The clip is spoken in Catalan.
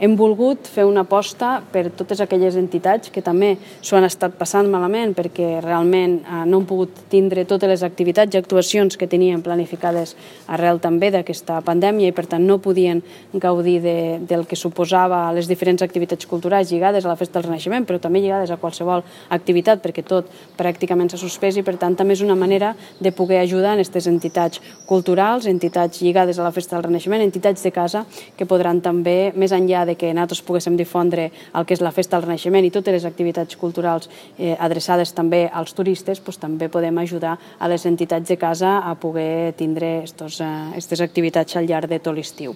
Hem volgut fer una aposta per totes aquelles entitats que també s'ho han estat passant malament perquè realment no han pogut tindre totes les activitats i actuacions que tenien planificades arrel també d'aquesta pandèmia i per tant no podien gaudir del que suposava les diferents activitats culturals lligades a la Festa del Renaixement, però també lligades a qualsevol activitat perquè tot pràcticament s'ha suspès i per tant també és una manera de poder ajudar en aquestes entitats culturals, entitats lligades a la Festa del Renaixement, entitats de casa que podran també, més enllà de que nosaltres poguéssim difondre el que és la Festa del Renaixement i totes les activitats culturals adreçades també als turistes, també podem ajudar a les entitats de casa a poder tindre aquestes activitats al llarg de tot l'estiu.